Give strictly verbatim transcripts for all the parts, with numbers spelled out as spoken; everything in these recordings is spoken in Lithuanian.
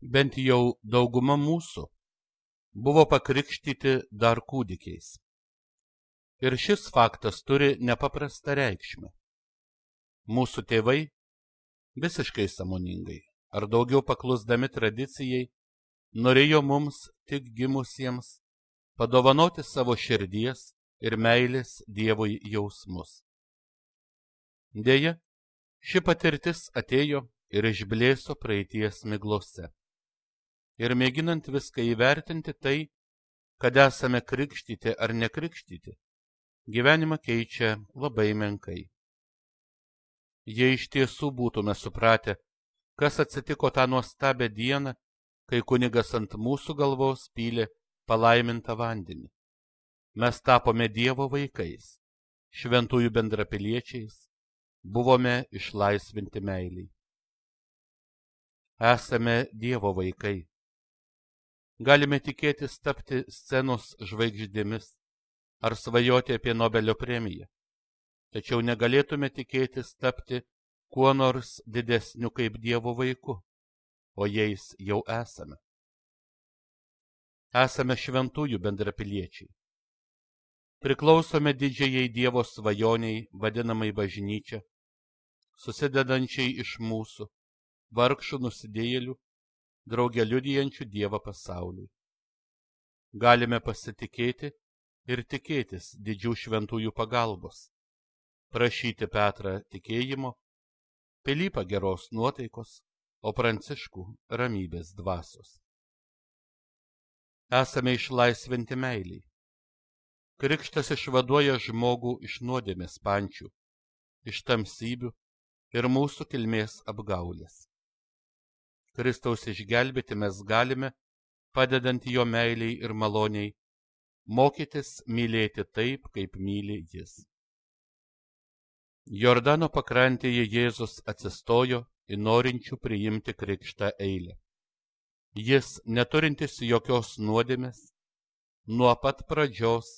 bent jau dauguma mūsų, buvo pakrikštyti dar kūdikiais. Ir šis faktas turi nepaprastą reikšmę. Mūsų tėvai visiškai sąmoningai ar daugiau paklusdami tradicijai norėjo mums tik gimusiems padovanoti savo širdies ir meilės Dievui jausmus. Deja, ši patirtis atėjo ir išblėso praeities miglose. Ir mėginant viską įvertinti tai, kad esame krikštyti ar nekrikštyti, gyvenimą keičia labai menkai. Jei iš tiesų būtume supratę, kas atsitiko tą nuostabią dieną, kai kunigas ant mūsų galvos pylė palaimintą vandenį, mes tapome Dievo vaikais, šventųjų bendrapiliečiais, buvome išlaisvinti meiliai. Esame Dievo vaikai. Galime tikėtis tapti scenos žvaigždėmis ar svajoti apie Nobelio premiją, tačiau negalėtume tikėtis tapti kuo nors didesniu kaip Dievo vaiku, o jais jau esame. Esame šventųjų bendrapiliečiai. Priklausome didžiajai Dievo svajoniai, vadinamai bažnyčia, susidedančiai iš mūsų, vargšų nusidėjėlių, drauge liudijančių Dievą pasauliui. Galime pasitikėti ir tikėtis didžių šventųjų pagalbos, prašyti Petrą tikėjimo, Pilypą geros nuotaikos, o Pranciškų ramybės dvasios. Esame išlaisvinti meiliai. Krikštas išvaduoja žmogų iš nuodėmės pančių, iš tamsybių ir mūsų kilmės apgaulės. Kristaus išgelbėti mes galime, padedant jo meiliai ir maloniai, mokytis mylėti taip, kaip myli jis. Jordano pakrantėje Jėzus atsistojo į norinčių priimti krikštą eilę. Jis, neturintis jokios nuodėmės, nuo pat pradžios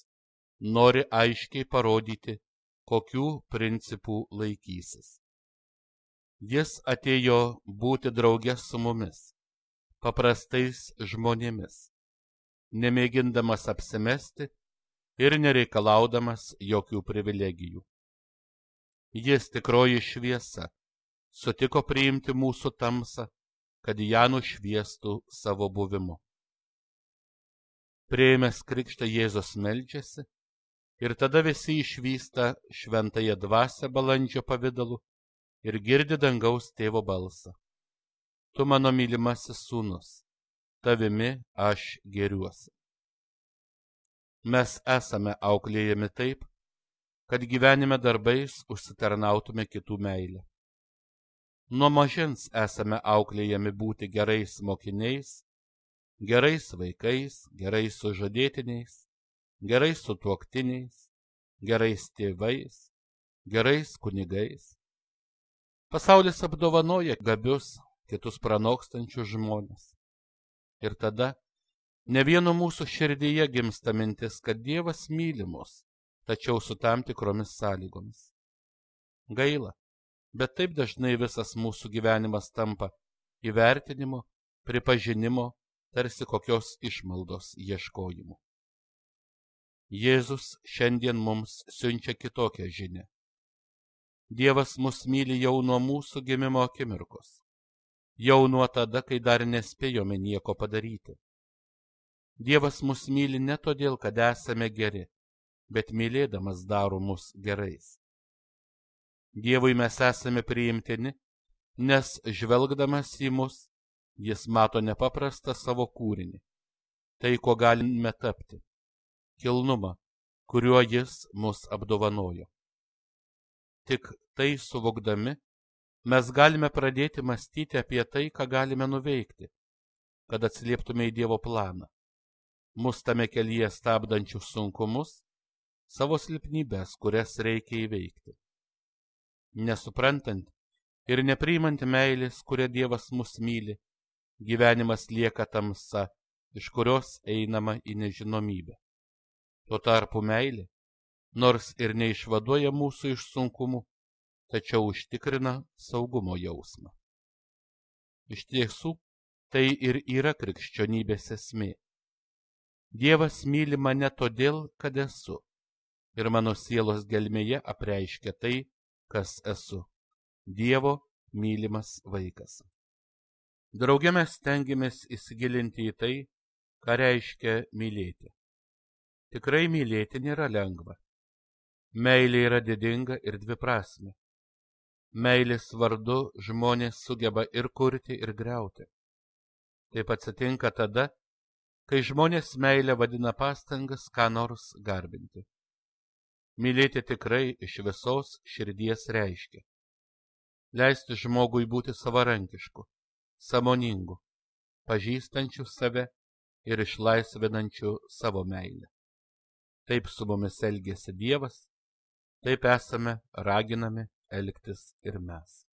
nori aiškiai parodyti, kokių principų laikysis. Jis atėjo būti drauge su mumis, paprastais žmonėmis, nemėgindamas apsimesti ir nereikalaudamas jokių privilegijų. Jis, tikroji šviesa, sutiko priimti mūsų tamsą, kad ją nušviestų savo buvimu. Priėmęs krikštą Jėzus meldžiasi ir tada visi išvysta šventąją dvasią balandžio pavidalu ir girdi dangaus tėvo balsą. Tu mano mylimasis sūnus, tavimi aš gėriuosi. Mes esame auklėjami taip, kad gyvenime darbais užsitarnautume kitų meilę. Nuo mažens esame auklėjami būti gerais mokiniais, gerais vaikais, gerais sužadėtiniais, gerais sutuoktiniais, gerais tėvais, gerais kunigais. Pasaulis apdovanoja gabius, kitus pranokstančius žmones. Ir tada ne vieno mūsų širdyje gimsta mintis, kad Dievas myli mus, tačiau su tam tikromis sąlygomis. Gaila, bet taip dažnai visas mūsų gyvenimas tampa įvertinimo, pripažinimo, tarsi kokios išmaldos ieškojimu. Jėzus šiandien mums siunčia kitokią žinią. Dievas mus myli jau nuo mūsų gimimo akimirkos, jau nuo tada, kai dar nespėjome nieko padaryti. Dievas mus myli ne todėl, kad esame geri, bet mylėdamas daro mus gerais. Dievui mes esame priimtini, nes žvelgdamas į mus, jis mato nepaprastą savo kūrinį, tai, ko galime tapti, kilnumą, kuriuo jis mus apdovanojo. Tik tai suvokdami, mes galime pradėti mąstyti apie tai, ką galime nuveikti, kad atsilieptume į Dievo planą, mus tame kelyje stabdančius sunkumus, savo silpnybės, kurias reikia įveikti. Nesuprantant ir nepriimant meilės, kuria Dievas mus myli, gyvenimas lieka tamsa, iš kurios einama į nežinomybę. Tuo tarpu meilė, nors ir neišvaduoja mūsų iš sunkumų, tačiau užtikrina saugumo jausmą. Iš tiesų, Tai ir yra krikščionybės esmė. Dievas myli mane todėl, kad esu, ir mano sielos gelmėje apreiškia tai, kas esu. Dievo mylimas vaikas. Drauge mes stengiamės įsigilinti į tai, ką reiškia mylėti. Tikrai mylėti nėra lengva. Meilė yra didinga ir dviprasmė. Meilės vardu žmonės sugeba ir kurti, ir griauti. Taip atsitinka tada, kai žmonės meilę vadina pastangas ką nors garbinti. Mylėti tikrai iš visos širdies reiškia leisti žmogui būti savarankišku, sąmoningu, pažįstančiu save ir išlaisvinančiu savo meilę. Taip su mumis elgiasi Dievas, taip esame raginami elgtis ir mes.